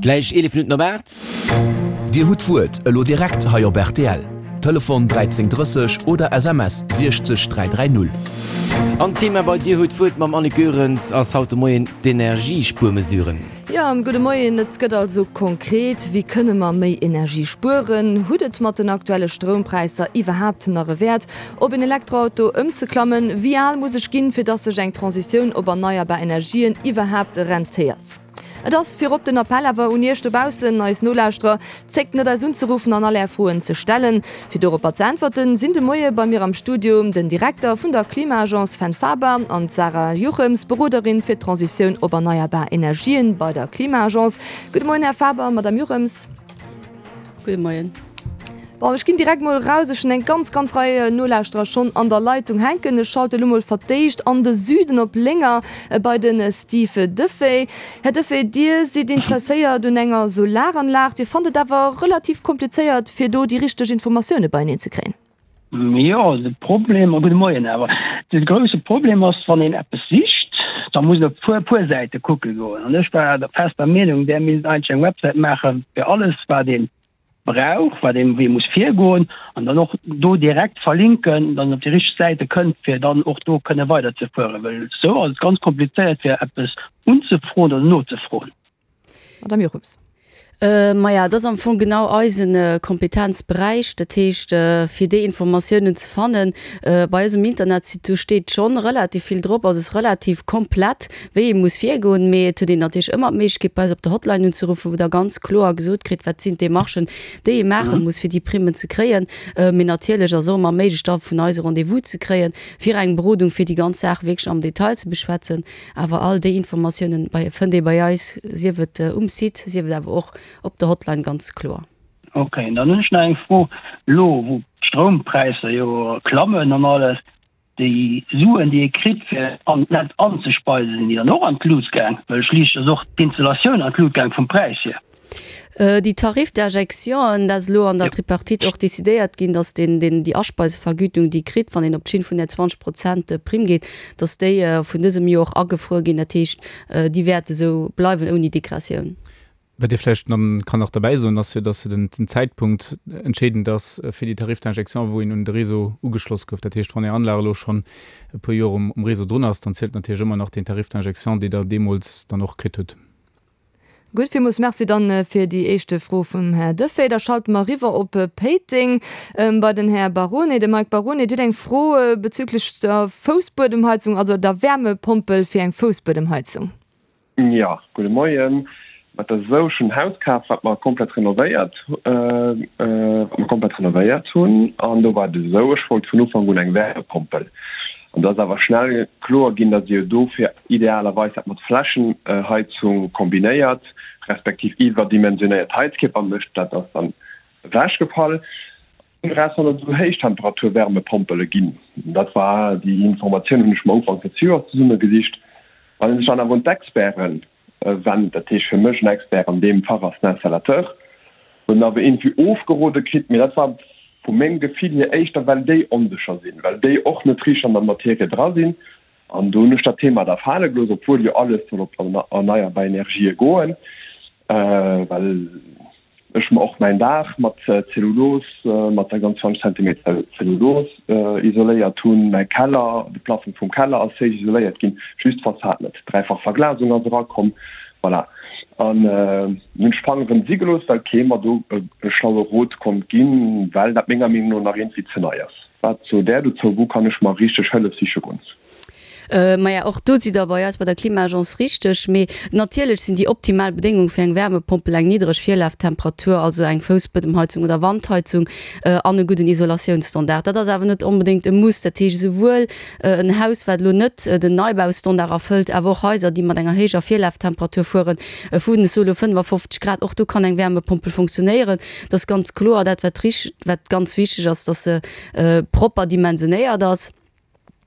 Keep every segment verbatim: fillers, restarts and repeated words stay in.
Gläich eelef Minutten op aacht. Dir hutt d'Wuert elo direkt hei op rtl. Telefon dräizéng drësseg oder S M S siechzeg dräi dräi null. An d'Thema bei Dir hutt d'Wuert mam Annick Goerens ass haut de Moien d'Energiespuermesuren. Jo, gudde Moien. Et gëtt also konkret, Wéi kënne mer méi Energie spueren? Hutt et mat den aktuelle Stroumpräisser iwwerhaapt nach e Wäert, op en Elektroauto ëmzeklammen? Wéi al muss ech ginn, fir dass sech eng Transitioun op erneierbar Energien iwwerhaapt rentéiert? Et ass virop den Appell awer un Iech dobaussen, eis Nolauschterer, Zéckt net eis unzeruffen an all Är Froen ze stellen. Fir doropper ze äntwerten, sinn de Moie bei mir am Studio den Direkter vun der Klima-Agence Fenn Faber an d'Sarah Juchems, Beroderin fir d'Transitioun op erneierbar Energien bei der Klima-Agence. Gudde Moien, Här Faber, Madame Juchems. Gudde Moien. Bon, ech ginn direkt mol eraus, ech hunn eng ganz, ganz Rei Nolauschterer schonn an der Leitung hänken. Ech schalte lo mol verdéischt an de Süden op Lénger bei de Steve Duffé. Här Duffé, Dir sidd interesséiert un enger Solaranlag, Dir fannt et awer relativ komplizéiert, fir do déi richteg Informatioune beieneen ze kréien. Jo, de Problem, gudde Moien awer, de grousse Problem ass, wann een eppes sicht, da muss een op puer, puer Säite kucke goen. An ech war der fester Meenung, där misst eigentlech eng Websäit maache fir alles, wat ee brauch, wat een, wéi ee muss virgoen, an dann och do direkt verlinken, dann op déi richteg Säite kënnt, fir dann och do kënne weiderzefueren, well esou ass et ganz komplizéiert, fir eppes unzefroen oder nozefroen. Madame Jochums. Maja, dat ass am Fong genau eise Kompetenzberäich. Dat heescht, fir déi Informatiounen ze fannen bei eis um Internetsite, do steet schonn relativ vill drop, also ass relativ komplett, wéi ee muss virgoen. Mee et huet een natierlech ëmmer d'Méiglechkeet, bei eis op der Hotline unzeruffen, wou Der ganz kloer gesot kritt, wat sinn d'Demarchen, déi ee maache muss, fir déi Primmen ze kréien. Mee natierlech ass och ëmmer méiglech, da vun eis e Rendez-vous ze kréien, fir eng Berodung, fir déi ganz Saach wierklech am Detail ze beschwätzen. Awer all déi Informatiounen bei fënnt ee bei eis, sief et um Site, sief et awer och op der Hotline ganz kloer. Ok, dann hunn ech nach eng Fro. Elo wou d'Stroumpräisser jo klammen an alles, déi Suen déi ee kritt fir an d'Netz anzespeisen, sinn déi dann och an d'Lut gaang? Well schliisslech ass och d'Installatioun an d'Lut gaang vum Präis hier. Déi Tarif d'injection, dat ass elo an der Tripartite och decidéiert ginn, datt deen, deen déi Aspeisevergütung, déi kritt, wann een op d'Schinn vun där zwanzeg Prozent Primm geet, datt déi vun dësem Joer och agefruer ginn. Dat heescht, déi wäert esou bleiwen ouni Degressioun. Wat ee vläicht dann kann nach derbäi soen, ass jo, dass den Zäitpunkt entscheedend ass fir déi Tarif d'injection, wou een un de Réseau ugeschloss gouf. Dat heescht, wann Är Anlag elo schonn e puer Joer um Réseau drun ass, dann zielt natierlech ëmmer nach deen Tarif d'injection, dee Der deemools dann och kritt hutt. Gutt, villmools Merci dann fir déi éischte Fro vum Här Duffé. Da schalte mer eriwwer op Péiteng bei den Här Barone, de Mike Barone. Dir hutt eng Fro bezüglech der Foussbuedemheizung, also der Wärmepompel fir eng Foussbuedemheizung. Jo, gudde Moien. Mat der esou ech hunn en Haus kaf, wat mer komplett renovéiert, wat mer komplett renovéiert hunn. An do war et esou, ech wollt vun Ufank un eng Wärmepompel. An do ass awer schnell kloer ginn, datt ee jo dofir idealerweis dat mat Flächenheizung kombinéiert, respektiv iwwerdimensionéiert Heizkierper mécht. Dat ass dann ewechgefall. Eraus wann et esou Héichtemperaturwärmepompele ginn. Dat war déi Informatioun hunn ech mer Ufank des Joers zesummegesicht. Wann een sech dann awer un d'Experten wennt, dat heescht fir mech en Expert an deem Fach ass den Installateur, huet en awer iergendwéi ofgerode kritt, mee dat war vu mengem Gefill hier éischter well déi onsécher sinn, well déi och net richteg an der Materie dra sinn. An do hunn ech dat Thema da fale gelooss, obwuel jo alles soll op erneierbar Energië goen, well ech mer och mäin Daach mat Zellulos, mat der ganz zwanzeg Zentimeter Zellulos isoléiert hunn, mäi Keller, de Plafong vum Keller ass héich isoléiert ginn, just d'Fassad net, dräifach Verglasung ass erakomm, voilà. An hunn ech d'Fang erëm si gelooss, well kee mer do e schlaue Rot konnt ginn, well dat menger Meenung no nach iergendwéi ze nei ass. Wat sot Där dozou? Wou kann ech mer richteg Hëllef siche goen? Maja, och do sidd Der bei eis bei der Klima-Agence richteg. Mee natierlech sinn déi optimal Bedéngung fir eng Wärmepompel eng niddreg Virlaftemperatur, also eng Foussbuedemheizung oder Wandheizung, an e gudden Isolatiounsstandard. Dat ass awer net onbedéngt e Muss. Dat heescht, esouwuel en Haus, wat elo net den Neibaustandard erfëllt, awer och Haiser, déi mat enger héijer Virlaftemperatur fueren, vun, ech soe elo fënnefafofzeg Grad, och do kann eng Wärmepompel funktionéieren. Et ass ganz kloer, dat wat rich-, wat ganz wichteg ass, dass se propper dimensionéiert ass.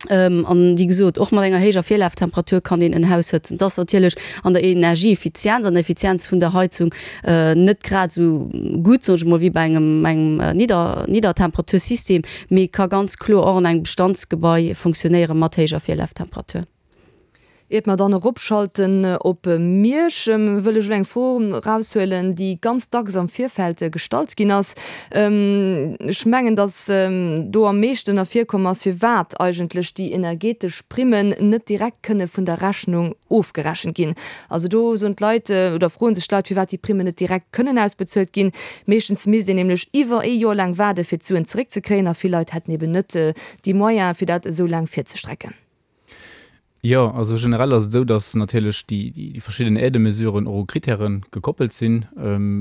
An wéi gesot, och mat enger héijer Virlaftemperatur kann een en Haus hëtzen. Et ass natierlech an der Energieeffizienz, an der Effizienz vun der Heizung net grad esou gutt, soen ech emol, wéi bei engem engem Nidder Niddertemperatursystem, mee ka ganz kloer och an engem Bestandsgebai funktionéiere mat héijer Virlaftemperatur. Iert mer dann eropschalten op Miersch, wëll ech elo eng Fro eraushuelen, déi ganz dacks am Virfeld gestallt ginn ass. Ech mengen, datt do am meeschten ervirkomm ass, firwat eigentlech déi energetesch Primmen net direkt kënne vun der Rechnung ofgerechent ginn. Also do soen d'Leit oder froe sech d'Leit, firwat déi Primmen net direkt kënnen ausbezuelt ginn. Meeschtens misst een nämlech iwwer ee Joer laang waarde fir d'Suen zeréckzekréien a vill Leit hätten eben net déi Moyene fir dat esou laang virzestrecken. Jo, also generell ass et esou, datt natierlech déi, déi verschidden Aidemesuren och u Kritäre gekoppelt sinn,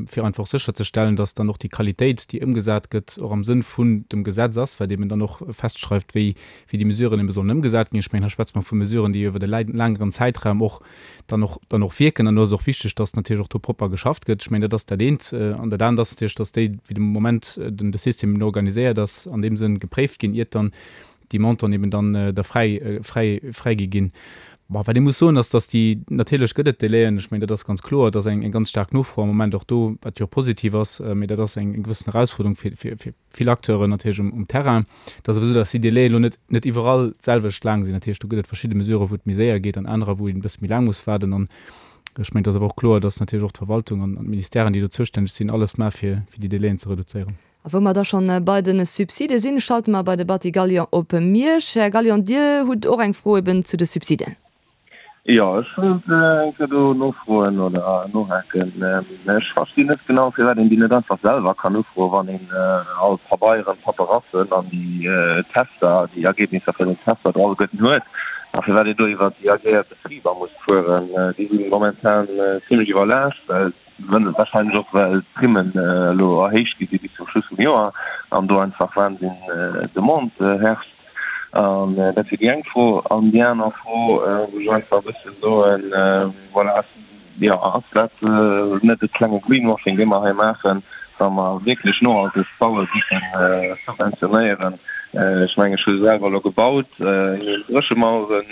fir einfach sécherzestellen, datt dann och déi Qualitéit, déi ëmgesat gëtt, och am Sënn vun dem Gesetz ass, wat eben dann och festschreift, wéi, wéi déi Mesuren ebe sollen ëmgesat ginn. Ech mengen, hei schwätze mer vu Mesuren, déi iwwer e längeren Zäitraum och dann och, dann och wierken. An do ass et och wichteg, datt natierlech och do propper geschafft gëtt. Ech mengen, dat ass dat eent. An dat anert ass natierlech, datt déi, wéi de Moment den de System eben organiséiert ass, an deem Sënn gepréift ginn, iert dann déi Montanten eben dann da fräi, fräi, fräi gi ginn. Bon, wat ee muss soen, ass, datt déi, natierlech gëtt et Délaiën, ech mengen, dat ass ganz kloer, et ass eng, eng ganz staark Nofro am Moment och do, wat jo och positiv ass, mee dat ass eng, eng gewëssen Erausfuerderung fir, fir, fir vill Acteuren natierlech um, um Terrain. Et ass awer esou, datt déi Délaië elo net, net iwwerall d'selwecht laang sinn. Dat heescht, do gëtt et verschidde Mesuren, wou et méi séier geet an anerer, wou een e bësse méi laang muss waarden. An ech mengen, et ass awer och kloer, datt natierlech och d'Verwaltung an, an d'Ministèren, déi do zoustänneg sinn, alles maache fir, fir déi Délaiën ze reduzéieren. A wou mer da schonn bei de Subside sinn, schalte mer bei de Batty Gallion op Miersch. Här Gallion, Dir hutt och eng Fro eben zu de Subsiden. Jo, ech wollt eng Kéier do nofroen oder nohaken. Ech verstinn net genau, firwat een déi net einfach selwer kann ufroen, wann een all d'Pabeieren, d'Paperassen an déi Tester, déi Ergebnisser vun den Tester alleguerten huet, a firwat een do iwwer déi agréiert Betriber muss fueren. Déi si momentan zimlech iwwerlaascht, well Wahrscheinlech och well d'Primmen elo erhéicht gi si bis zum Schluss vum Joer an do einfach Wahnsinn Demande herrscht. An dat wier déi eng Fro. An déi aner Fro, wou ech einfach e bësse soen, voilà, jo, ass dat net e klenge Greenwashing, dee mer hei maachen, wa mer wierklech nohalteg baue géife subventionéieren? Ech mengen, ech hu selwer elo gebaut, mir hunn Dréchemauere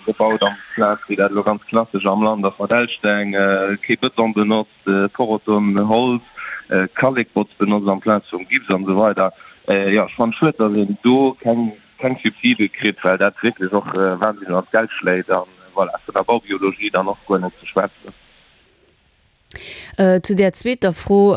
gebaut amplaz, wéi dat elo ganz klassesch am Land ass, mat Elsteng, kee Bëton benotzt, Poroton, Holz, Kallekbotz benotzt amplaz vum Gips an esou weider. Jo, ech fannen et schued, datt een do keng keng Subside kritt, well dat wierklech och wahnsinneg an d'Geld schléit an voilà, vun der Baubiologie dann och guer net ze schwätzen. Zu där zweeter Fro,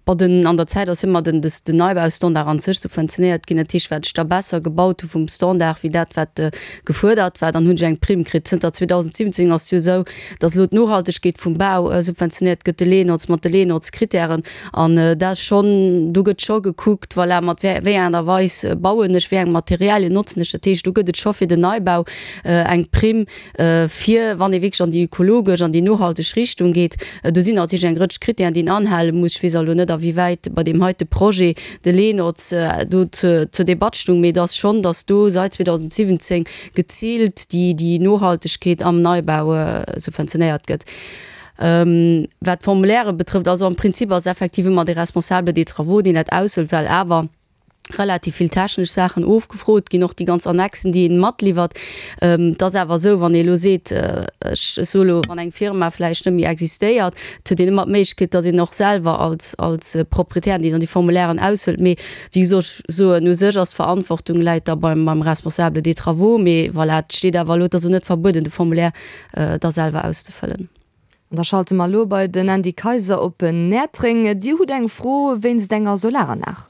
Bon, den, an der Zäit ass ëmmer den, des, den Neibaustandard an sech subventionéiert ginn. Dat heescht, wat ech da besser gebaut hu vum Standard wéi dat, wat gefuerdert war, dann hunn ech eng Primm kritt. Zënter zweedausendsiwwenzéng ass et jo esou, datt elo d'Nohaltegkeet vum Bau subventionéiert gëtt, de LENOZ mat de LENOZ-Kritären. An dat ass schonn, do gëtt scho gekuckt, voilà, mat wéi, wéi enger Aart a Weis bauen ech, wéi eng Materialien notzen ech. Dat heescht, do gëtt et scho fir den Neibau eng Primm, fir wann ee wierklech an déi ökologesch, an déi nohalteg Richtung geet. Do sinn natierlech eng Rëtsch Krittären, déi een anhale muss. Ech weess elo net, awéiwäit bei deem heite Projet de LENOZ do zur Debatt stung, mee et ass schonn, datt do sait zweedausendsiwwenzéng geziilt déi Nohaltegkeet am Neibau subventionéiert gëtt. Wat d'Formulaire betrëfft, also am Prinzip ass effektiv ëmmer de Responsable des travaux, deen dat ausfëllt, well awer relativ vill technesch Saachen ofgefrot ginn, och déi ganz Annexen, déi een matliwwert. Et ass awer esou, wann ee elo seet, ech soe elo, wann eng Firma vläicht net méi existéiert, et huet een ëmmer d'Méiglechkeet, datt een och selwer als, als Proprietär, deen dann déi Formulairen ausfëllt. Mee wéi gesot, ech soen, u sech ass d'Verantwortung läit da beim, beim Responsable des travaux. Mee voilà, et steet awer elo, et ass elo net verbueden, de Formulaire da selwer auszefëllen. An da schalte mer elo bei den Andy Kayser op Näertreng. Dir hutt eng Fro wéinst enger Solaranlag?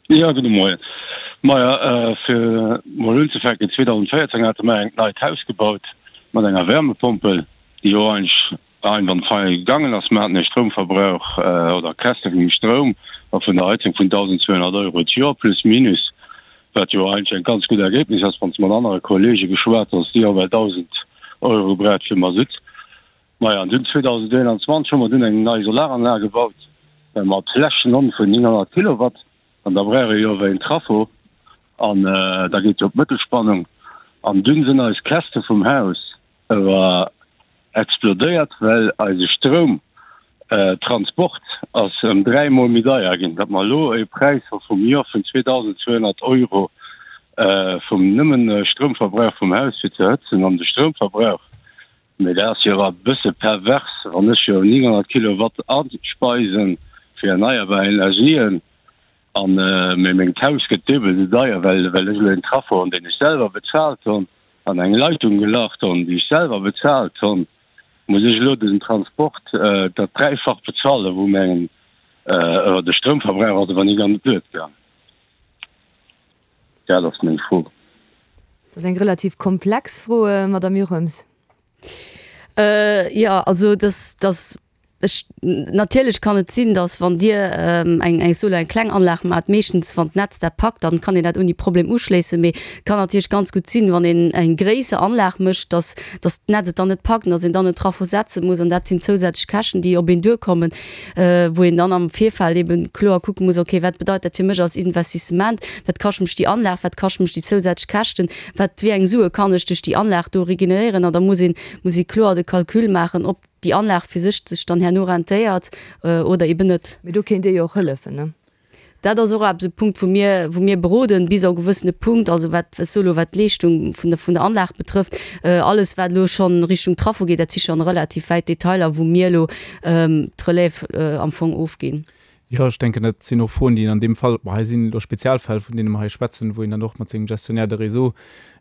Jo, gudde Moien. Maja, fir mol unzefänken, zweedausendvéierzéng hate mer engt neit Haus gebaut mat enger Wärmepompel, déi jo eigentlech einwandfrei gaangen ass. Mer haten e Stroumverbrauch oder Käschte vum Stroum a vun der Heizung vun tausendzweehonnert Euro d'Joer, plus minus, wat jo eigentlech eng ganz gutt Ergebnis ass. Wann s de mat anere Kollege geschwat hues, déi hu bal dausend Euro gebraucht fir Masutt. Maja, an dunn zweedausendeenanzwanzeg hu mer dunn eng nei Solaranlag gebaut mat Flächenonn vun nénghonnert Kilowatt. An da brauch ee jo awer een Traffo an da geet jo op d'Mëttelspannung. An dunn sinn eis Käste vum Haus awer explodéiert, well eise Stroumtransport ass ëm dräi Mol méi deier ginn, datt mer elo e Präis hu vum Joer vun zweetausendzweehonnert Euro vum nëmmen Stroumverbrauch vum Haus fir ze hëtzen an de Stroumverbrauch. Mee dat ass jo awer e bësse pervers, wann ech jo nénghonnert Kilowatt aspeisen fir erneierbar Energien, an mee mengt Haus gëtt duebel esou deier, well well ech elo een Traffo hunn, deen ech selwer bezaalt hunn. an eng Leitung gelacht hunn, déi ech selwer bezahlt hunn, muss ech elo den Transport dat Dräifacht bezuelen, wou mengem de Stroumverbrauch ass, awer ni ganz duer gaang. Dat ass meng Fro. Dat ass eng relativ komplex Fro, Madame Jochems. Jo, also dass, dass ech, natierlech kann et sinn, dass wann Dir eng, eng Solo, eng kleng Anlag maacht, meeschtens wann d'Netz dat packt, dann kann een dat ouni Problem uschléissen. Mee et kann natierlech ganz gutt sinn, wann een eng gréisser Anlag mécht, dass, dass d'Netz et dann net packt an dass een dann en Trafo setze muss. An dat sinn zousätzlech Käschten, déi op een duerkommen, wou een dann am Virfeld eebe kloer kucke muss, okay, wat bedeit dat fir mech als Investissement, wat kascht mech déi Anlag, wat kascht mech déi zousätzlech Käschten, wat, wéi eng Sue kann ech duerch déi Anlag do regeneréieren. An da muss een, muss ee kloer de Calcul maachen, ob déi Anlag fir sech sech dann herno rentéiert oder eben net. Mee do kéint Dir jo och hëllefen, ne? Dat ass och eppes, e Punkt, wou mir, wou mir beroden, bis op e gewëssene Punkt, also wat, wat elo wat d'Leeschtung vun der, vun der Anlag betrëfft. Alles, wat elo schonn Richtung Traffo geet, dat si schonn relativ wäit Detailer, wou mir elo d'Relève am Fong ofginn. Jo, ech denken, dat sinn och Froen, déi een an deem Fall, bon, hei sinn elo Spezialfäll, vun deene mer hei schwätzen, wou een dann och mat sengem Gestionnaire de réseau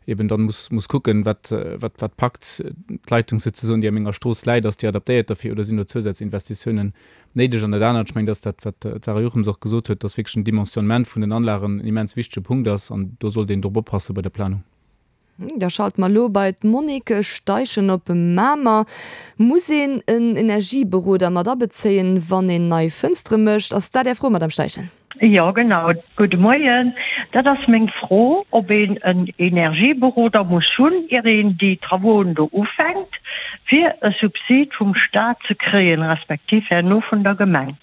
eben dann muss, muss kucken, wat, wat, wat packt d'Leitung souzesoen, déi a menger Strooss läit, ass déi adaptéiert derfir oder sinn do Zousazinvestitiounen néideg? An dat anert, ech mengen, dat ass dat, wat d'Sarah Jochems och gesot huet, dass wierklech den Dimensionnement vun den Anlagen en immens wichtege Punkt ass an do sollt een drop oppasse bei der Planung. Da schalte mer elo bei d'Monique Steichen op Mamer. Muss een en Energieberoder mat abezéien, wann een nei Fënstere mécht? Ass dat Är Fro, Madame Steichen? Jo, genau. Gudde Moien. Dat ass meng Fro, ob een en Energieberoder muss hunn, ier een déi Travauxen do ufänkt, fir e Subsid vum Staat ze kréien, respektiv herno vun der Gemeng.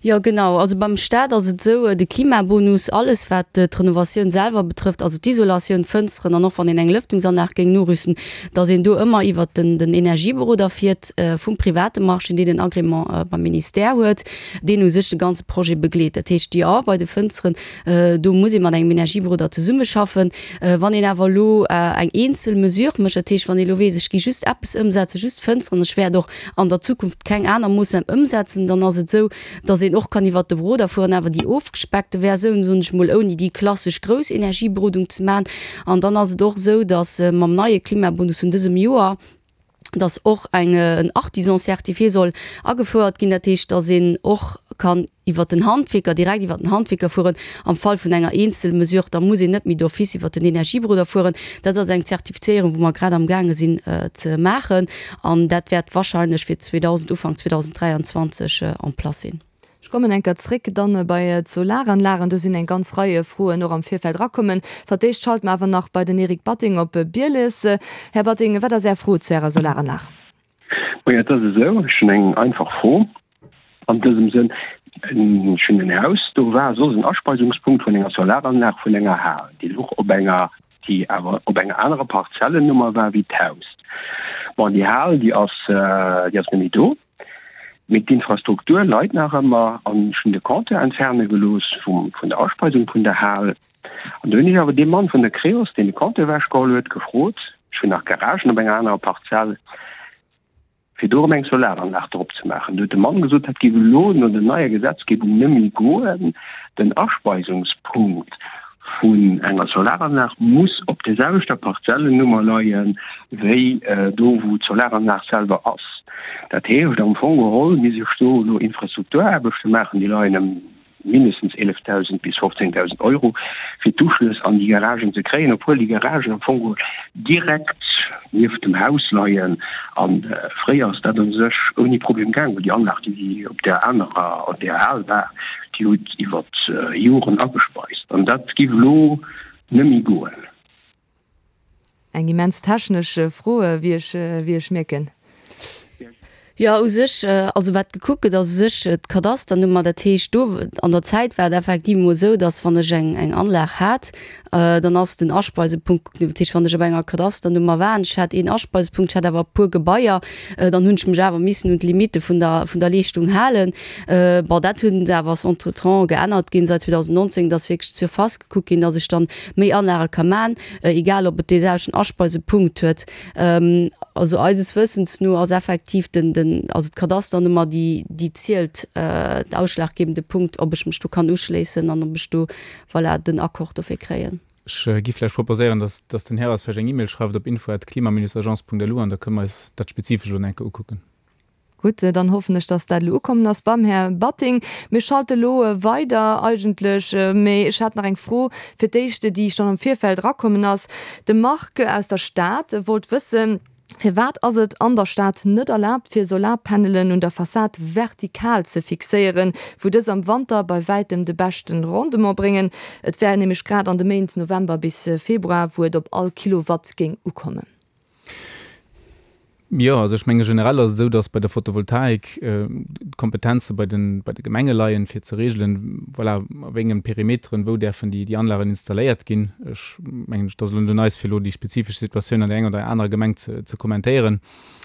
Jo, genau. Also beim Staat ass et esou, de Klimabonus, alles wat d'Renovatioun selwer betrëfft, also d'Isolatioun, d'Fënsteren an och wann een eng Lëftungsanlag géing norüsten, datt een do ëmmer iwwert den den Energieberoder fiert vum private Marché, deen en Agrément beim Ministère huet, deen u sech de ganze Projet begleet. Dat heescht, jo, bei de Fënsteren, do muss ee mat engem Energieberoder zesummeschaffen. Wann een awer elo eng eenzel Mesure mécht, dat heescht, wann ee elo weess, ech gi just eppes ëmsetzen, just d'Fënsteren, ech wäert och an der Zukunft keng aner Moossnam ëmsetzen, dann ass et esou, datt een och kann iwwert de Beroder fueren, awer déi ofgespeckte Versioun, soen ech mol, ouni déi klassesch grouss Energieberodung ze maachen. An dann ass et och esou, datt mam neie Klimabonus vun dësem Joer, datt och eng en Artisan certifié soll agefouert ginn, dat heescht, datt een och kann iwwert den Handwierker, direkt iwwert den Handwierker fueren am Fall vun enger Eenzelmesure, da muss een net méi d'office iwwert den Energieberoder fueren. Dat ass eng Zertifizéierung, wou mer grad amgaange sinn ze maachen an dat wäert wahrscheinlech fir zweedausend, Ufank zweedausenddräianzwanzeg en place sinn. Ech kommen eng Kéier zréck dann bei d'Solaranlagen. Do sinn eng ganz Rei Froen och am Virfeld erakommen. Fir d'éischt schalte mer awer nach bei den Eric Batting op Bieles. Här Batting, wat ass Är Fro zu Ärer Solaranlag? Majo, et ass esou, ech hunn eng einfach Fro an dësem Sënn. Ech hunn en Haus, do war soss en Aspeisungspunkt vun enger Solaranlag vun enger Hal, déi louch op enger, déi awer op enger anerer Parzellennummer war wéi d'Haus. Bon, déi Hal, déi ass, déi ass net méi do, mee d'Infrastruktur leit nach ëmmer an ech hunn de Compteur entferne gelooss vum, vun der Aspeisung vun der Hal. An do hunn ech awer dee Mann vun der Creos, deen de Compteur ewechgeholl huet, gefrot, ech hunn nach Garagen op enger anerer Parzell, fir do erëm eng Solaranlag drop ze maachen. Do huet de Mann gesot, dat géif elo no der neier Gesetzgebung nëmme goen, den Aspeisungspunkt vun enger Solaranlag muss op der selwechter Parzellennummer leie wéi do, wou d'Solaranlag selwer ass. Dat heescht am Fong geholl misst ech do elo Infrastrukturaarbechte maachen, déi leien ëm mindestens eelefdausend bis fofzéngdausend Euro, fir d'Uschlëss an déi Garagen ze kréien, obwuel déi Garagen am Fong geholl direkt nieft dem Haus leien. A fréier ass dat u sech ouni Problem gaangen, well déi Anlag, déi op där anerer, op där al war, déi huet iwwer Joren agespeist. An dat géif elo net méi goen. Eng immens technesch Fro, wéi ech, wéi ech mierken. Jo, u sech, also wat gekuckt gëtt, ass u sech d'Kadasternummer. Dat heescht, do an der Zäit war et effektiv emol esou, datt wann ech eng, eng Anlag hat, dann ass den Aspeisepunkt gekuckt ginn. Dat heescht, wann ech op enger Kadasternummer war an ech hat een Aspeisepunkt, ech hat awer e puer Gebaier, dann hunn ech mech awer missen un d'Limitte vun der, vun der Leeschtung halen. Bon, dat hunn se awer ass entretemps geännert ginn säit zweedausendnonzéng, datt wierklech d'Surface gekuckt ginn, datt ech dann méi Anlage ka man, egal ob et dee selwechten Aspeisepunkt huet. Also eises Wëssens no ass effektiv den, den, also d'Kadasternummer, déi, déi zielt, de ausschlaggebende Punkt, ob ech mech do kann uschléissen an ob ech do, voilà, den Accord dofir kréien. Ech gi vläicht proposéieren, dass, dass den Här eis vläicht eng E-Mail schreift op info at klima-agence.lu an da kënne mer eis dat spezifesch elo nach eng Kéier ukucken. Gutt, dann hoffen ech, dass dat elo ukommen ass beim Här Batting. Mir schalte elo weider eigentlech, mee ech hat nach eng Fro fir d'éischt, déi schonn am Virfeld erakommen ass. De Marc aus der Stad wollt wëssen, Firwat ass et an der Stad net erlaabt, fir Solarpanelen un der Fassad vertikal ze fixéieren, wou dës am Wanter bei wäitem de beschten Rendement bréngen? Et wär nämlech grad an de Méint November bis Februar, wou et op all Kilowatt géing ukommen. Jo, also ech menge generell ass et esou, datt bei der Photovoltaik d'Kompetenze bei de bei de Gemenge leien, fir ze reegelen, voilà, a wéi engem Perimeteren, wou däerfen déi déi Anlagen installéiert ginn. Ech mengen, et ass elo net un eis, fir elo déi spezifesch Situatioun an där enger oder anerer Gemeng ze ze kommentéieren.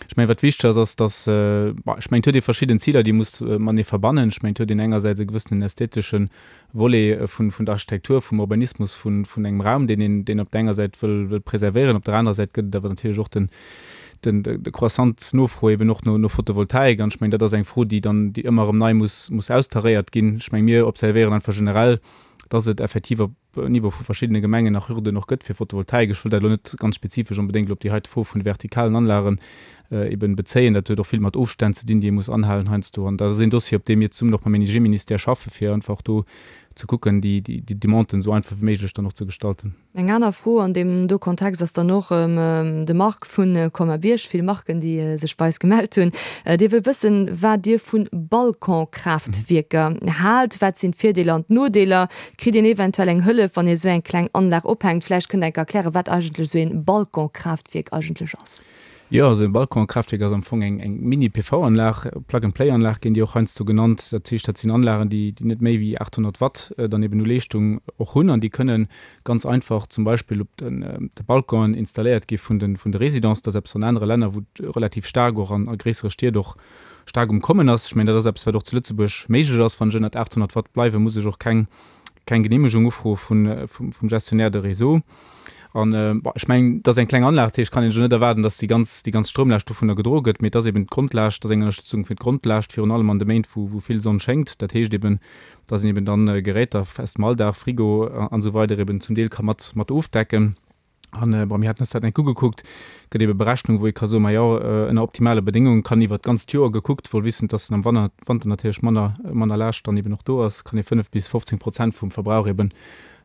Ech mengen, wat wichteg ass, ass, datt, bon, ech mengen, et huet ee verschidden Ziler, déi ee muss matenee verbannen. Ech mengen, et huet een engersäits e gewëssenen ästheteschen Volet vun vun der Architektur, vum Urbanismus, vun vun engem Raum, deen een deen op der enger Säit wëll wëll preservéieren. Op der anerer Säit gëtt et awer natierlech och den den de croissant Nofro eben och no no Photovoltaik. An ech mengen, dat ass eng Fro, déi dann déi ëmmer erëm nei muss muss austaréiert ginn. Ech mengen, mir observéieren einfach generell, dass et effektiv op Niveau vu verschiddene Gemengen nach Hürden och gëtt fir Photovoltaik. Ech wëll dat elo net ganz spezifesch onbedéngt elo op déi heite Fro vun de vertikalen Anlagen eben bezéien. Dat huet och vill mat Ofstänn ze dinn, déi ee muss anhalen heiansdo. An dat ass een Dossier, op deem mir zesummen och mam Energieministère schaffen, fir einfach do ze kucken, déi déi Demanden esou einfach wéi méiglech dann och ze gestalten. Eng aner Fro an deem do Kontext ass dann och de Marc vu Colmar-Bierg, vill Marken, déi sech bei eis gemellt hunn, dee wëll wëssen, wat Dir vu Balconkraaftwierker haalt. Wat sinn d'Virdeeler an d'Nodeeler? Kritt een eventuell eng Hëllef, wann ee sou eng kleng Anlag ophänkt? Vläicht kënnt Der enk erklären, wat eigentlech sou ee Balconkraaftwierk eigentlech ass. Jo, esou e Balconkraaftwierk ass am Fong eng eng Mini-PV-Anlag, Plug-and-Play-Anlag ginn déi och heiansdo genannt. Dat heescht, dat sinn Anlagen, déi déi net méi wéi achthonnert Watt dann eben u Leeschtung och hunn an déi kënnen ganz einfach zum Beispill op den de Balconen installéiert gi vun de vun de Résidences. Dat ass eppes an anere Länner, wou et relativ staark och an a gréissere Stied och staark um Kommen ass. Ech mengen, dat ass eppes, wat och zu Lëtzebuerg méiglech ass. Wann ech ënnert achthonnert Watt bleiwen, muss ech och keng keng Geneemegung ufroe vun vum vum Gestionnaire de réseau. An, bon, ech mengen, et ass eng kleng Anlag, dat heescht, kann een elo net erwaarden, datt déi ganz, déi ganz Stroumlaascht dovunner gedroe gëtt, mee et ass eben d'Grondlaascht, et ass eng Ënnerstëtzung fir d'Grondlaascht, virun allem an de Méint, wou, wou vill Sonn schéngt. Dat heescht eben, datt een eben dann Geräter aus dem Alldag, Frigo an esou weider eben zum Deel ka mat, mat ofdecken. An, bon, mir haten eis dat eng Kéier ugekuckt, gëtt ebe Berechnung, wou ee ka soen, ma jo, ënner optimale Bedéngunge kann iwwert d'ganzt Joer gekuckt, wuel wissend, datt am Wanner, Wanter natierlech manner, manner Laascht dann eben och do ass, kann ee fënnef bis fofzéng Prozent vum Verbrauch eben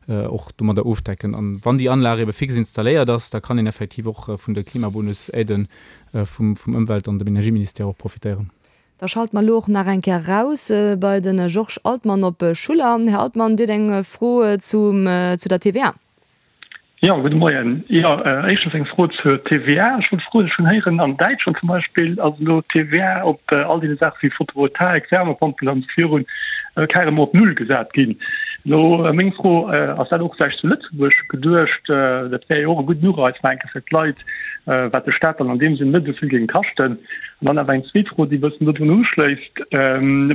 och domadder ofdecken. An wann déi Anlag ebe fix installéiert ass, da kann een effektiv och vun de Klimabonus-Aiden vum Ëmwelt an dem Energieministère och profitéieren. Da schalte mer elo och nach eng Kéier eraus bei de Georges Altmann op Schuller. Här Altmann, Dir hutt eng Fro zum, zu der T V A. Jo, gudde Moien. Jo, éischtens eng Fro zur T V A. Ech wollt froen, ech hunn héieren, an Däitschland zum Beispill ass elo d'T V A op all deene Saache wéi Photovoltaik, Wärmepompel an esou virun carrément op Null gesat ginn. Elo meng Fro, Ass dat och vläicht zu Lëtzebuerg geduecht? Dat wär jo och e gudden Ureiz, mengen ech, fir d'Leit, wat de Staat dann an deem Sënn net esou vill géing kaschten. An dann awer eng zweet Fro, déi e bëssen dodrun uschléisst,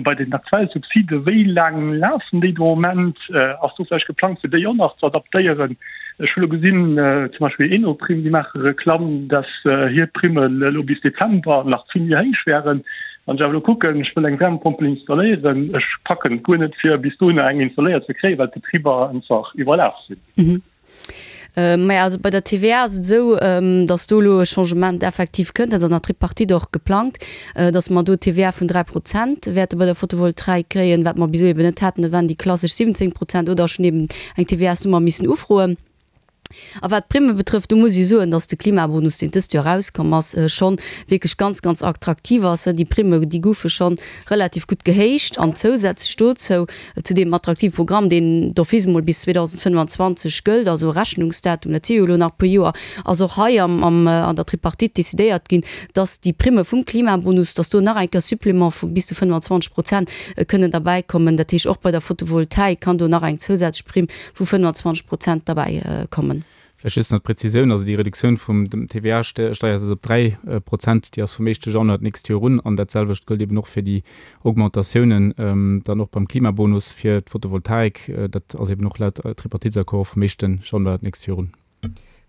Bei den aktuelle Subside, wéi laang lafen déi de Moment? Ass do vläicht geplangt, fir déi och nach ze adaptéieren? Ech hu lo gesinn, zum Beispill Enoprime, déi maache Reklamm, dass hir Primmen elo bis Dezember nach vill méi héich wären. Wann ech awer elo kucken, ech wëll eng Wärmepompel installéieren, ech packen et guer net, fir bis dohinner eng installéiert ze kréien, well d'Betriber einfach iwwerlaf sinn. Maja, also bei der T V A ass et esou, datt do elo e Changement effektiv kënnt. Dat ass an der Tripartite och geplangt, datt mer do T V A vun dräi Prozent wäerte bei der Photovoltaik kréien, wat mer bis elo eben net haten. Dat waren déi klassesch siwwenzéng Prozent oder ech hunn eben eng T V A-Nummer missen ufroen. A wat d'Primme betrëfft, do muss ech soen, dass de Klimabonus, deen dëst Joer erauskomm ass, schonn wierklech ganz, ganz attraktiv ass. Déi Primme, déi goufe schonn relativ gutt gehéicht. An zousätzlech dozou, zu deem attraktive Programm, deen d'office emol bis zweedausendfënnfanzwanzeg gëllt, also Rechnungsdatum, dat si jo elo nach e puer Joer, ass och hei am, am, an der Tripartite decidéiert ginn, dass déi Primme vum Klimabonus, dass do nach eng Kéier Supplément vu bis zu fënnfanzwanzeg Prozent kënnen derbäikommen. Dat heescht, och bei der Photovoltaik kann do nach eng zousätzlech Primm vu fënnfanzwanzeg Prozent derbäi kommen. Vläicht just nach d'Präzisioun, also déi Reduktioun vum dem T V A-Steiersaz op dräi Prozent, déi ass vum éischte Januar d'nächst Joer un. An dat selwecht gëllt eben och fir déi Augmentatiounen dann och beim Klimabonus fir d'Photovoltaik. Dat ass eben och laut Tripartitesaccord vum éischte Januar d'nächst Joer un.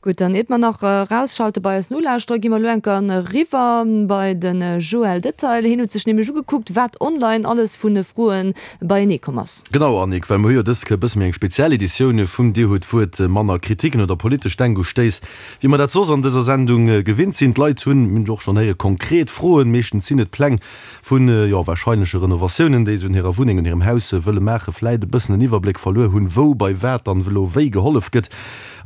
Gutt, dann iert mer nach erausschalte bei eis Nolauschterer, gi mer elo enker eriwwer bei de Joël Detail. Hien huet sech nämlech ugekuckt, wat online alles vu Froe beienee komm ass. Genau, Annick, well mer hu jo dës Kéier e bësse méi eng speziell Editioun vum Dir hutt d'Wuert, manner Kritiken oder politesch Denkustéiss, wéi mer dat soss an dëser Sendung gewinnt sinn. D'Leit hunn, mir hunn et och schonn héieren, konkret Froen. Meeschtens sinn et Pläng vun, jo, warscheinleche Renovatiounen, déi se un hirer Wunneng, un hirem Haus wëlle maachen, vläit e bëssen den Iwwerbléck verluer hunn, wou bei wat dann elo wéi gehollef gëtt.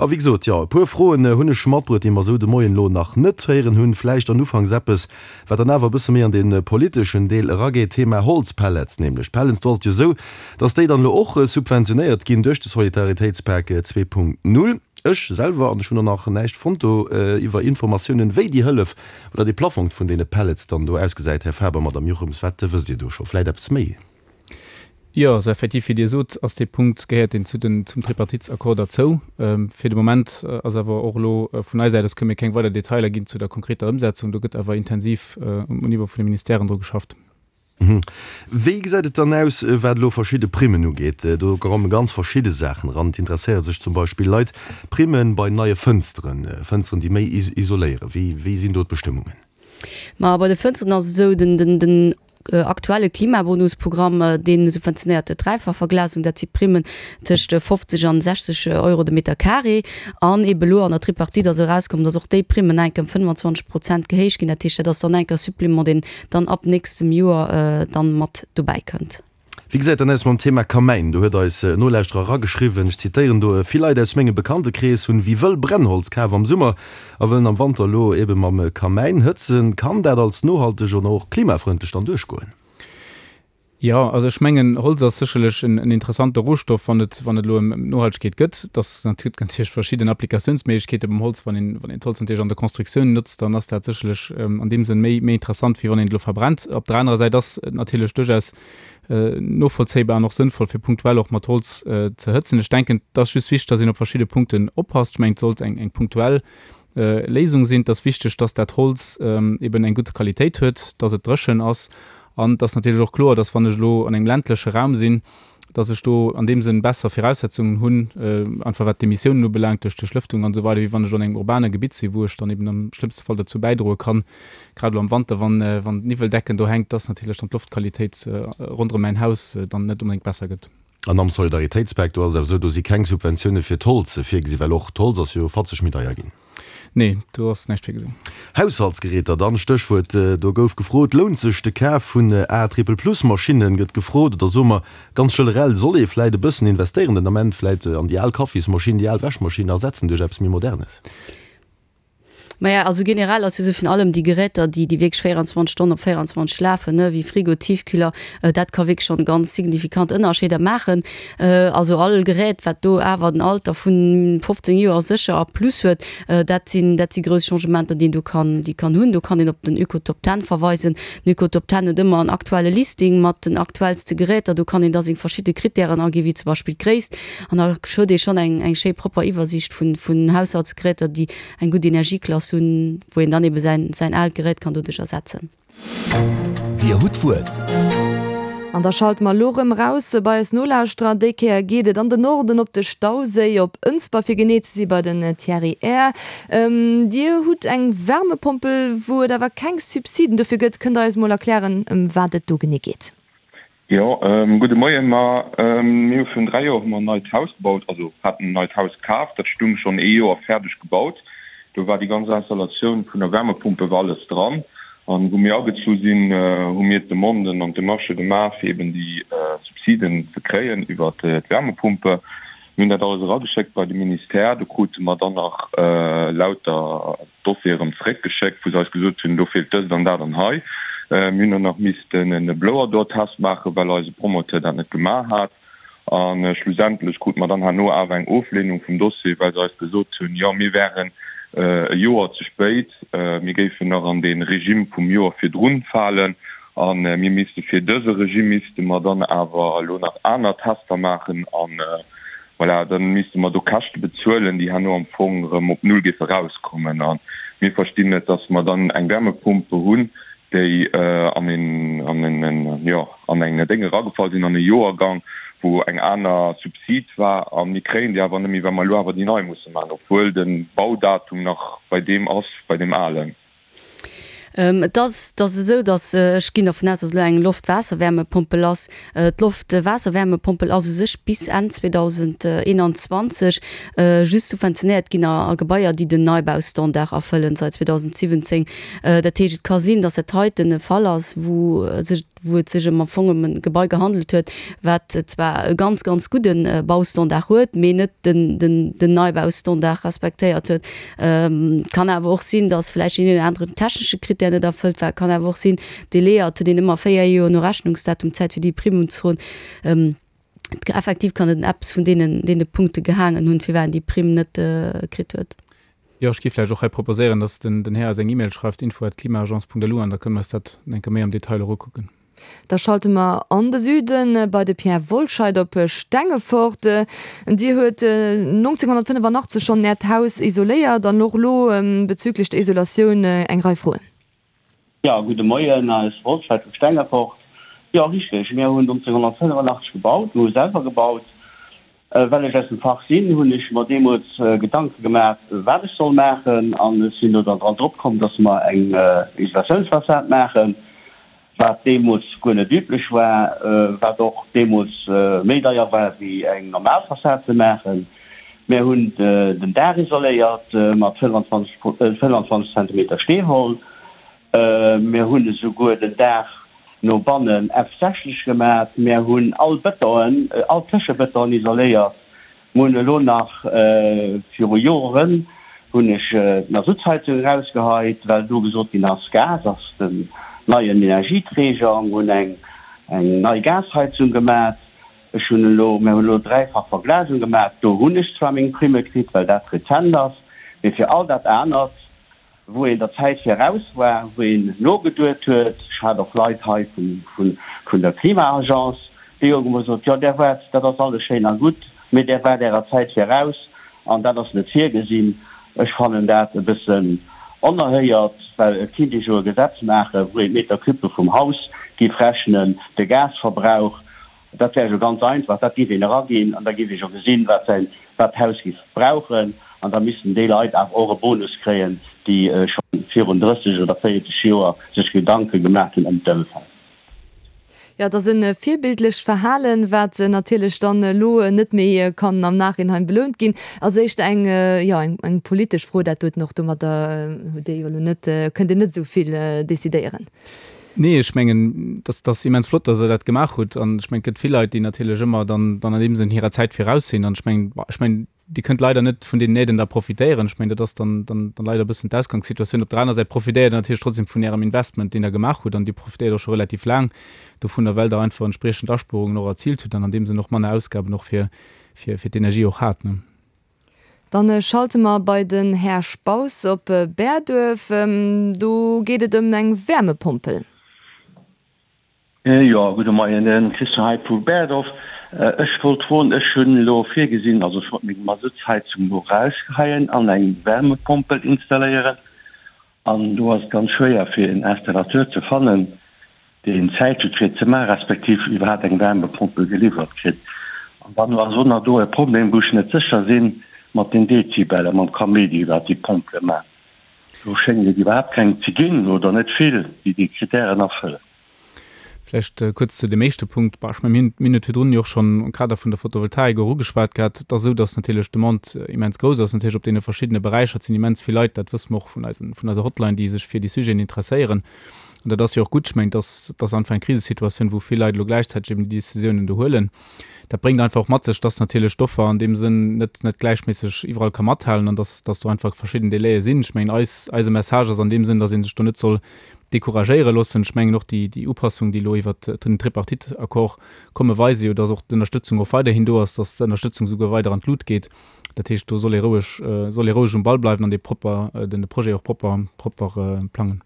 A wéi gesot, jo, e puer Froen hunn ech matbruet, déi mer esou de Moien elo nach net héieren hunn. Vläicht an ufanks eppes, wat dann awer e bësse méi an dee politeschen Deel erageet, Thema Holzpellets nämlech. D'Pellets, do ass et jo esou, dass déi dann elo och subventionéiert ginn duerch de Solidaritéitspak zwee Punkt null. Ech selwer, an ech hunn och nach näischt fonnt do iwwer Informatiounen, wéi déi Hëllef oder dee Plaffong vun deene Pellets dann do ausgesäit. Här Faber, Madame Jochems, wat wësst Dir do scho vläicht eppes méi? Jo, also effektiv, wéi Dir sot, ass dee Punkt, gehéiert deen zu den, zum Tripartitesaccord derzou. Fir de Moment ass awer och elo vun eiser Säit aus, kënne mir keng weider Detailer ginn zu der konkreter Ëmsetzung. Do gëtt awer intensiv um Niveau vun de Ministèren dru geschafft. Wéi gesäit et dann aus, wat elo verschidde Primmen ugeet? Do komme ganz verschidde Saachen eran. Et interesséiere sech zum Beispill Leit, Primme bei neie Fënsteren, Fënsteren, déi méi isoléieren. Wéi, wéi sinn do d'Bestëmmungen? Ma bei de Fënsteren ass et esou, den, den, den aktuelle Klimabonusprogramm, dee subventionéiert d'Dräifachverglasung, dat si Primmen tëscht fofzeg an sechzeg Euro de Meter carré. An eebe elo an der Tripartite ass erauskomm, datt och déi Primmen enk ëm fënnwanzwanzeg Prozent gehéicht ginn. Dat heescht, dat ass dann enk e Supplément, deen dann ab nächstem Joer dann mat dobäi kënnt. Wéi gesäit dann aus mam Thema Kamäin? Do huet eis en Nolauschterer erageschriwwen, ech zitéieren do, Vill Leit aus mengem Bekanntekrees hunn wéi wëll Brennholz kaf am Summer a wëllen am Wanter elo ebe mam Kamäin hëtzen. Kann dat als nohalteg an och klimafrëndlech dann duerchgoen? Jo, also ech mengen, Holz ass sécherlech en interessante Rohstoff, wann et, wann et elo ëm Nohaltegkeet gëtt. Dass et gëtt natierlech verschidden Applikatiounsméiglechkeete beim Holz. Wann een, wann een d'Holz natierlech an der Constructioun notzt, dann ass dat sécherlech an deem Sënn méi, méi interessant, wéi wann een et elo verbrennt. Op der anerer Säit ass et natierlech duerchaus novollzéibar an och sënnvoll, fir punktuell och mat Holz ze hëtzen. Ech denken, et ass just wichteg, dass een op verschidde Punkten oppasst. Ech mengen, et sollt eng, eng punktuell Léisung sinn. Et ass wichteg, dass dat Holz eben eng gutt Qualitéit huet, dass et dréchen ass. An et ass natierlech och kloer, dass wann ech elo an engem ländleche Raum sinn, dass ech do an deem Sënn besser Viraussetzungen hunn, einfach wat d'Emissiounen ubelaangt, duerch d'Duerchlëftung an esou weider, wéi wann ech elo an engem urbane Gebitt sinn, wou ech dann eben am schlëmmste Fall dozou bäidroe kann, grad elo am Wanter, wann d'Niwweldecken do hänkt, dass natierlech dann d'Loftqualitéit ronderëm mäin Haus dann net onbedéngt besser gëtt. An am Solidaritéitspak, do ass et awer esou, do si keng Subventioune fir d'Holz virgesi well och d'Holz ass jo fatzeg méi deier ginn. Nee, do ass näischt virgesinn. Haushaltsgeräter dann, Stéchwuert, do gouf gefrot, lount sech de Kaf vun A Triple Plus Maschinnen, gëtt gefrot, oder soe mer ganz generell, soll ee vläit e bëssen investéieren den Ament, vläit an déi al Kaffismaschinn, déi al Wäschmaschinn ersetzen duerch eppes méi Modernes? Maja, also generell ass jo sou virun allem déi Geräter, déi déi wierklech véieranzwanzeg Stonnen op véieranzwanzeg lafen, ne, wéi Frigo, Tiefkühler, dat ka wierklech schonn ganz signifikant Ënnerscheeder maachen. Also all Gerät, wat do awer den Alter vun fofzéng Joer sécher a plus huet, dat sinn dat si grouss Changementer, déi een do kann déi kann hunn. Do kann een op den Ökotop Ten verweisen. Den Ökotop Ten huet ëmmer en aktuelle Listing mat den aktuellste Geräter. Do kann een da seng verschidde Krittären aginn, wéi zum Beispill d'Gréisst, an da huet ee schonn eng eng schéi propper Iwwersiicht vun vun Haushaltsgeräter, déi eng gutt Energieklass hunn, wou een dann ebe säin, säin aalt Gerät kann doduerch ersetzen. Dir hutt d'Wuert. An da schalte mer elo rëm raus bei eis Nolauschterer. Déi Kéier geet et an den Norden op de Stauséi, op Ënsber fir genee ze si bei den Thierry Err. Dir hutt eng Wärmepompel, wou et awer keng Subsiden dofir gëtt. Kënnt Der eis mol erklären, ëm wat et do genee geet? Jo, gudde Moien. Ma mir hu virun dräi Joer hu mer en neit Haus gebaut, also haten en neit Haus kaf. Dat stung schonn ee Joer fäerdeg gebaut. Do war déi ganz Installatioun vun der Wärmepumpe war alles dran. An wou mir agezu sinn, hu mir d'Demanden an d'Demarchë gemaach, fir eben déi Subsiden ze kréien iwwer d'Wärmepumpe. Mir hunn dat alles erageschéckt bei de Ministère. Do krute mer dann nach lauter Dossiere erëm zeréckgeschéckt, wou se eis gesot hunn, do feelt dëst an dat an hei. Mir hunn dann nach missten e Blower-Door-Test maachen, well eise Promoteur dat net gemaach hat. A schlussendlech krute mer dann herno awer eng Oflehnung vum Dossier, well se eis gesot hunn, jo mir wären e Joer ze spéit, mir géifen nach an dee Regime vum Joer virdrun falen a mir misste fir dëse Regime misste mer dann awer elo nach aner Tester maachen a voilà, da misste mer do Käschte bezuelen, déi herno am Fong erëm op Null géife rauskommen. A mir verstinn net, dass mer dann eng Wärmepumpe hunn, déi an een, an en, jo, an eng Déng eragefall sinn, an e Joergang, wou eng aner Subsid war a mir kréien déi awer net méi, well mer elo awer déi nei musse maachen, obwuel de Baudatum nach bei deem ass, bei deem alen. Et ass, et ass esou, datt, ech ginn dervun aus, datt elo eng Loft-Waasser-Wärmepompel ass. D'Loft-Waasser-Wärmepompel ass u sech bis Enn zweedausendeenanzwanzeg just subventionéiert ginn a Gebaier, déi den Neibaustandard erfëllen, seit zweedausensiwwenzéng. Dat heescht, et ka sinn, datt dat heiten e Fall ass, wou sech wou et sech ëm am Fong ëm e Gebai gehandelt huet, wat zwar e ganz, ganz gudde Baustandard huet, mee net den, den, den Neibaustandard respektéiert huet. Kann awer och sinn, datt vläicht deen een oder aneren technesche Krittär net erfëllt war. Kann awer och sinn, Délaier, et huet een ëmmer véier Joer no Rechnungsdatum Zäit, fir déi Primm unzefroen. Effektiv kann et un eppes vun deenen, deene Punkte gehaangen hunn, firwat en déi Primm net kritt huet. Jo, ech géif vläicht och hei proposéieren, dass den den Här eis eng E-Mail schreift, info at klimaagence punkt lu, an da kënne mer eis dat eng Kéier méi am Detail och ukucken. Da schalte mer an de Süden, bei de Pierre Wollscheid op Stengefort. Dir huet nonzénghonnertfënnefannachtzeg schonn Äert Haus isoléiert an och elo bezüglech der Isolatioun eng Rei Froen. Jo, gudde Moien, eis Wollscheid vu Stengefort. Jo, richteg, mir hunn nonzénghonnertfënnefannachtzeg gebaut, mir hu selwer gebaut. Well ech aus dem Fach sinn, hunn ech mer deemools Gedanke gemaach, wat ech soll maachen, an ech sinn do dann dran drop komm, dass mer eng Isolatiounsfassad maachen, wat deemools guer net üblech war, wat och deemools méi deier war wéi eng normal Fassad ze maachen. Mir hunn den Daach isoléiert mat fënnfanzwanzeg Zentimeter Steewoll. Mir hunn esouguer den Daach no bannen F sechzeg gemat. Mär hunn all Bëtonen, all Tëschebëtonen isoléiert. Mir hunn elo nach, viru Joren hunn ech d'Masuttheizung erausgeheit, well do gesot ginn ass, Gas ass den neien Energieträger. Mir hunn eng eng nei Gasheizung gemat. Ech hunn elo, mär hunn elo dräifach Verglasung gemat. Do hunn ech zwar meng Primme kritt, well dat rezent ass, mee fir all dat anert, wou een der Zäit viraus war, wou een nogeduet huet, ech hat och Leit hei vun der Klima-Agence, déi hu gesot, jo där waart, dat ass alles schéin a gutt, mee där waart ärer Zäit viraus an dat ass net virgesinn. Ech fannen dat e bëssen onerhéiert, well et kinnt ee jo e Gesetz maachen, wou een d'Meter-cubë vum Haus géif rechnen, de Gasverbrauch, Dat wär jo ganz einfach, dat géif een eraginn an da géif ee jo gesinn, wat säin, wat d'Haus géif brauchen. An da missten déi Leit awer och e Bonus kréien, déi scho virun drësseg oder véierzeg Joer sech Gedanke gemaach hunn ëm d'Ëmfeld. Jo, et ass e virbildlecht Verhalen, wat natierlech dann elo net méi kann am Nachhinein belount ginn. Also éischter eng, jo, eng politesch Fro dat doten och. Domadder hutt Dir jo elo net, kënnt Dir net esou vill decidéieren. Nee, ech mengen, dass ass immens flott, dass Der dat gemaach hutt. An ech mengen, et gëtt vill Leit, déi natierlech ëmmer dann dann an deem Sënn hirer Zäit viraus sinn. An ech mengen, ech mengen, Dir kënnt leider net vun deenen Aiden da profitéieren. Ech mengen, dat ass dann dann dann leider e bëssen d'Ausgangssituatioun. Op der aner Säit profitéiert Der natierlech trotzdem vun Ärem Investment, deen Der gemaach hutt. An Dir profitéiert och scho relativ laang dovunner, well Der einfach entspriechend Aspuerungen och erziilt hutt an an deem Sënn och manner Ausgaben och fir fir fir d'Energie och hat. Dann schalte mer bei den Här Spaus op Bäerduerf. Do geet et ëm eng Wärmepompel. Jo, gudde Moien, de Christian hei vu Bäerdorf. Ech wollt froen, ech hunn elo virgesinn, also ech wollt meng Masuttsheizung elo erausgeheien an eng Wärmepompel installéieren. An do ass et ganz schwéier fir en Installateur ze fannen, deen Zäit huet fir et ze maachen, respektiv iwwerhaapt eng Wärmepompel geliwwert kritt. An dann ass och nach do e Problem, wou ech net sécher sinn, mat den Dezibellen, mam Kaméidi, wat déi Pompele maachen. Do schéngt et iwwerhaapt keng ze ginn oder net vill, déi déi Kritären erfëllen. Vläicht kuerz zu deem éischte Punkt. Bon, ech mengen, mir hunn et virdrun jo och schonn am Kader vun der Photovoltaik och ugeschwat gehat. Et ass esou, dass natierlech d'Demande immens grouss ass, natierlech op deene verschiddene Beräicher. Et sinn immens vill Leit, dat wësse mer och vun eisen, vun eiser Hotline, déi sech fir déi Sujeten interesséieren. An dat ass jo och gutt. Ech mengen, et ass, et ass einfach eng Krisesituatioun, wou vill Leit elo gläichzäiteg eben déi Décisiounen do huelen. Dat bréngt einfach och mat sech, dass natierlech d'Offer an deem Sënn net, net gläichméisseg iwwerall ka mathalen an dass, dass do einfach verschidden Délaië sinn. Ech mengen, eis, eise Message ass an deem Sënn, dass ee sech do net soll decouragéiere loossen. Ech mengen och déi, déi Upassung, déi elo iwwert den Tripartite-Accord komme weise jo, dass och d'Ënnerstëtzung och weiderhin do ass, dass d'Ënnerstëtzung souguer weider an d'Lut geet. Dat heescht, do soll ee roueg, soll ee roueg um Ball bleiwen an dee propper, den de Projet och propper, propper plangen.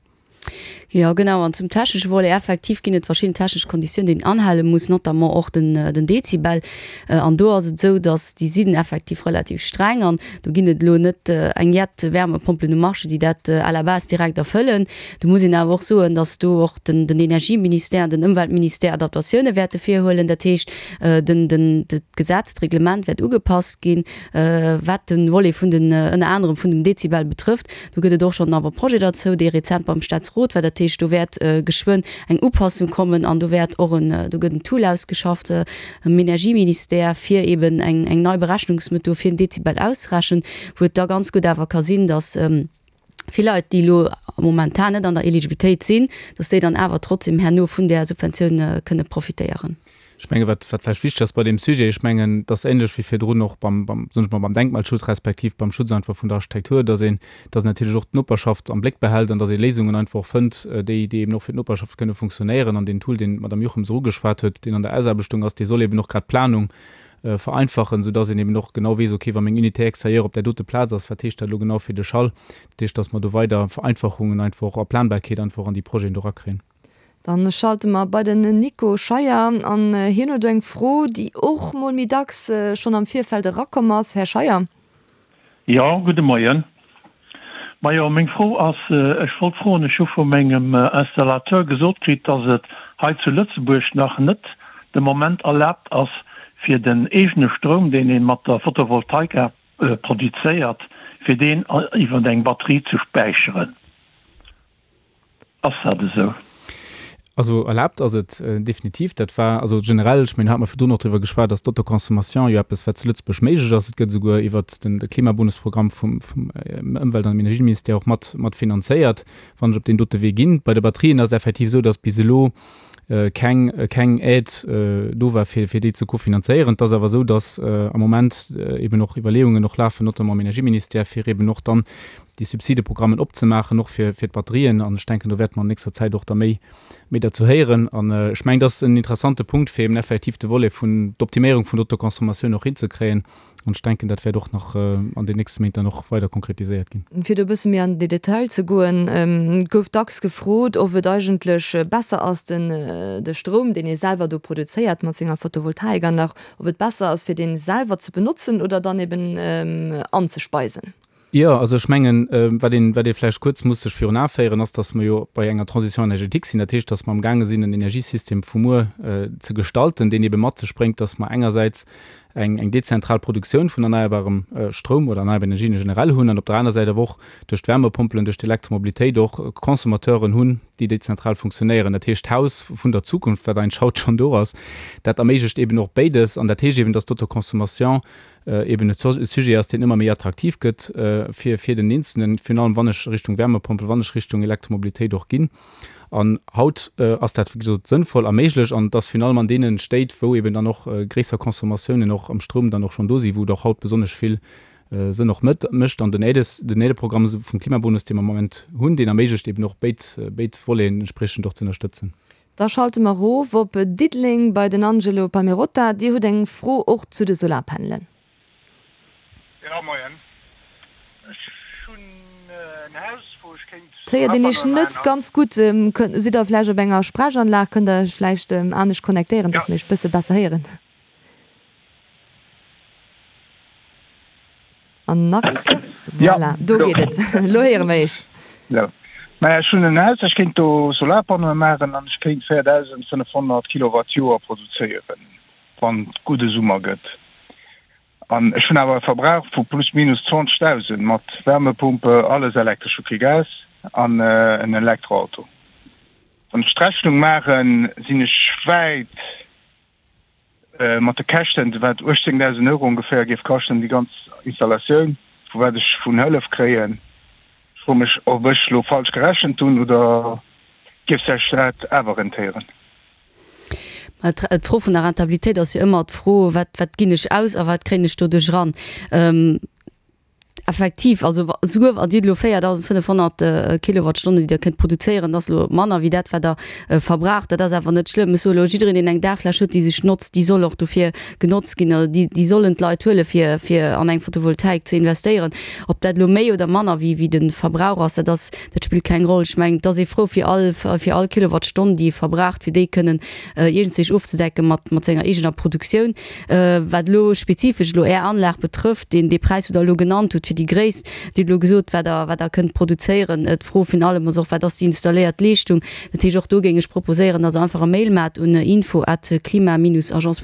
Jo, genau. An zum technesche Volet, effektiv ginn et verschidden technesch Konditiounen, déi een anhale muss, notamment och den, den Dezibel. An do ass et esou, dass déi sinn effektiv relativ streng an do ginn et elo net eng jett Wärmepompelen um Marché, déi dat à la base direkt erfëllen. Do muss een awer och soen, dass do och den, den Energieministère an den Ëmweltministère Adaptatioune wäerte virhuelen. Dat heescht, den, den, d'Gesetz, d'Reglement wäert ugepasst ginn, wat de Volet vun den, ënner anerem vun dem Dezibel betrëfft. Do gëtt et och schonn awer Projet derzou, dee rezent beim Staatsrot war. Dat heescht, do wäert geschwënn eng Upassung kommen an do wäert och en, do gëtt en Tool ausgeschafft am Energieministère, fir eeben eng, eng nei Berechnungsmethod fir den Dezibel auszerechnen, wou et da ganz gutt awer ka sinn, dass vill Leit, déi elo momentan net an der Eligibilitéit sinn, dass déi dann awer trotzdem herno vun där Subventioun kënne profitéieren. Ech menge wat wat vläicht wichteg ass bei deem Sujet, ech mengen, et ass ähnlech wéi virdrun och beim, beim, soen ech mol, beim Denkmalschutz respektiv beim Schutz einfach vun der Architektur, dass een, dass een natierlech och d'Noperschaft am Bléck behält an dass ee Léisungen einfach och fënnt, déi, déi eben och fir d'Noperschaft kënne funktionéieren. An deen Tool, deen d'Madame Juchem erugeschwat huet, deen an der Ausaarbechtung ass, dee soll eben och grad d'Planung vereinfachen, soudass een eben och genau weess, okay, wa meng Unité extérieure op där dote Plaz ass, wat heescht dat elo genau fir de Schall? Dat heescht, dass mer do weider Vereinfachungen einfach och a Planbarkeet einfach an déi Projeten do erakréien. Dann schalte mer bei den Nico Scheier an hien huet eng Fro, déi och mol méi dacks schonn am Virfeld erakomm ass. Här Scheier. Jo, gudde Moien. Majo, meng Fro ass, ech wollt froen, ech hu vu mengem Installateur gesot kritt, dass et hei zu Lëtzebuerg nach net de Moment erlaabt ass, fir den eegene Stroum, deen ee mat der Photovoltaika produzéiert, fir deen iwwer eng Batterie ze späicheren. Ass dat esou? Also erlaabt ass et definitiv. Dat war also generell, ech mengen, hate mer virdrun och driwwer geschwat, ass d'Autoconsommation jo eppes, wat zu Lëtzebuerg méiglech ass. Et gëtt esouguer iwwert den Klimabonusprogramm vum Ëmwelt an Energieministère och mat mat finanzéiert, wann ech op deen dote Wee ginn. Bei de Batterien ass et effektiv esou, datt bis elo keng keng Aide do war, fir fir déi ze kofinanzéieren. Et ass awer esou, datt am Moment eeben och Iwwerleeungen och lafen, notamment am Energieministère, fir eeben och dann déi Subsideprogrammen opzemaachen, och fir fir d'Batterien. An ech denken, do wäerte mer an nächster Zäit och da méi méi derzou héieren. An ech mengen, dat ass en interessante Punkt, fir eben effektiv de Volet vun d'Optiméierung vun der Autoconsommation och hinzekréien. An ech denken, dat wäert och nach an den nächste Méint dann och weider konkretiséiert ginn. Fir do e bësse méi an de Detail ze goen, Et gouf dacks gefrot, ob et eigentlech besser ass, den de Stroum, deen ee selwer do produzéiert mat senger Photovoltaikanlag, ob et besser ass, fir dee selwer ze benotzen oder dann eben anzespeisen. Jo, also ech mengen, wat een, wat ee vläicht kuerz muss sech virun Ae féieren, ass, datt mer jo bei enger Transition énergétique sinn. Dat heescht, datt mer amgaange sinn, en Energiesystem vu muer ze gestalten, deen eebe mat sech bréngt, datt mer engersäits eng, eng dezentral Produktioun vun erneierbarem Stroum oder erneierbar Energien generell hunn an op der aner Säit awer och duerch d'Wärmepompelen, duerch d'Elektromobilitéit och Consommateuren hunn, déi dezentral funktionéieren. Dat heescht, d'Haus vun der Zukunft, wat eigentlech haut schonn do ass, dat erméiglecht eeben och béides. An dat heescht eeben, datt d'Autoconsommation eben e Sujet ass, deen ëmmer méi attraktiv gëtt fir, fir den Eenzelnen, virun allem wann ech Richtung Wärmepompel, wann ech Richtung Elektromobilitéit och ginn. An haut ass dat, wéi gesot, sënnvoll a méiglech an et ass virun allem an deene Stéit, wou eben dann och gréisser Consommatiounen och am Stroum dann och schonn do sinn, wou et och haut besonnesch vill Sënn och mécht. An den Aides, den Aideprogramm vum Klimabonus, dee mer am Moment hunn, deen erméiglecht eben och béid, béid Voleten entspriechend och ze ënnerstëtzen. Da schalte mer erof op Diddeleng bei den Angelo Pamirotta. Dir hutt eng Fro och zu de Solarpanelen. Jo, moien. Ech hunn en Haus, wou ech kéint Et héiert een Iech Solarpanneaue net maachen. ganz gutt. Kënnt, sidd Der vläicht op enger Sprechanlag? Kënnt Der Iech vläicht anescht connectéieren, Ja. dass mir Iech bësse besser héieren? An nach eng Kéier. Ja, Voilà, do elo. geet et. Elo héiere mer Iech. Esou. Maja, ech hunn en Haus, ech kéint do Solarpanneaue maachen an ech kéint véierdausendfënnefhonnert Kilowatt Joer produzéieren, wann et gudde Summer gëtt. An ech hunn awer e Verbrauch vu plus minus zwanzegdausend mat Wärmepumpe, alles elektresch, hu kee Gas an en Elektroauto. Wann ech d'Rechnung maachen, sinn ech wäit mat de Käschten, wat uechtzéngdausend Euro ongeféier géif kaschten, déi ganz Installatioun, vu wat ech vun Hëllef kréien. Ech froe mech, ob ech elo falsch gerechent hunn oder géif sech dat awer rentéieren? Mä d'Fro vun der Rentabilitéit ass jo ëmmer d'Fro, wat, wat ginn ech aus a wat kréien ech doduerch eran? Effektiv, also souguer wann Dir elo véierdausendfënnefhonnert Kilowattstonnen, déi Der kënnt produzéieren, dat ass elo manner wéi dat, wat Der verbraucht, dat ass awer net schlëmm. Ech soe elo, jiddereen, deen eng Daachfläch huet, déi sech notzt, déi soll och dofir genotzt ginn, also déi, déi sollen d'Leit huelen, fir, fir an eng Photovoltaik ze investéieren. Ob dat elo méi oder manner wéi, wéi de Verbrauch ass, dat ass, dat spillt keng Roll. Ech mengen, et ass ee frou fir all, fir all Kilowattstonn, déi ee verbraucht, fir déi kënnen iergendzwéi ofzedecken mat, mat senger eegener Produktioun. Wat elo spezifesch elo Är Anlag betrëfft, deen, dee Präis, wou Der elo genannt hutt fir déi Gréisst, Dir hutt elo gesot, wat Der, wat Der kënnt produzéieren. D'Fro vun allem ass och, Wat ass déi installéiert Leeschtung? Dat heescht, och do géing ech proposéieren, dass Der einfach e Mail maacht un info at klima-agence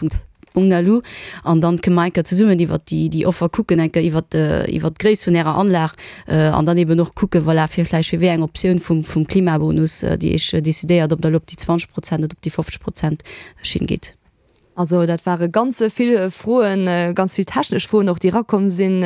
punkt lu an dann kënne mer eng Kéier zesummen iwwert déi, déi Offer kucken, eng Kéier iwwert, iwwert d'Gréisst vun Ärer Anlag an dann eben och kucken, voilà, fir vläicht fir wéi eng Optioun vum, vum Klimabonus Dir Iech decidéiert, ob Der elo op déi zwanzeg Prozent oder op déi fofzeg Prozent Schinn gitt. Also dat ware ganz vill Froen, ganz vill technesch Froen och, déi erakomm sinn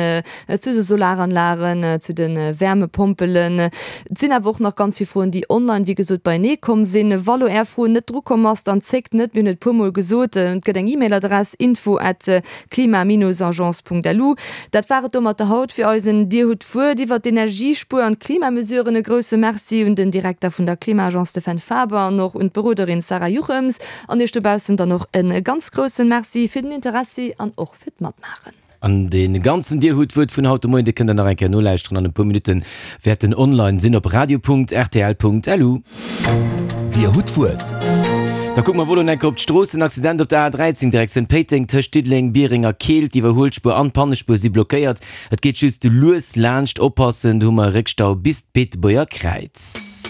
zu de Solaranlagen, zu de Wärmepompelen. Et sinn awer och nach ganz vill Froen, déi online, wéi gesot, beienee komm sinn. Wa lo Är Fro net drukomm ass, dann zéckt net, mir hunn et e puermol gesot, et gëtt eng E-Mail-Adress, info at klima-agence.lu. Dat war et domatter haut fir eisen Dir hutt d'Wuert iwwert d'Energiespuer an d'Klimamesuren. E grousse Merci un den Direkter vun der Klima-Agence, de Fenn Faber, an och un d'Beroderin Sarah Juchems. An Iech dobaussen dann och e ganz groussen Merci fir den Interessi an och fir d'Matmaachen. An dee ganzen Dir hutt d'Wuert vun haut de Moien, dee kënnt der nach eng Kéier nolauschteren. An e puer Minutte wäert en online sinn op radio.rtl.lu. Dir hutt d'Wuert. Da kucke mer wuel elo eng Kéier op d'Stroossen. Accident op der A dräizéng Direktioun Péiteng tëscht Diddeleng, Biereng a Keel. D'Iwwerhuelspuer an d'Pannespuer si blockéiert. Et geet just lues laanscht. Oppassen, do hu mer e Réckstau bis d'Beetebuerger Kräiz.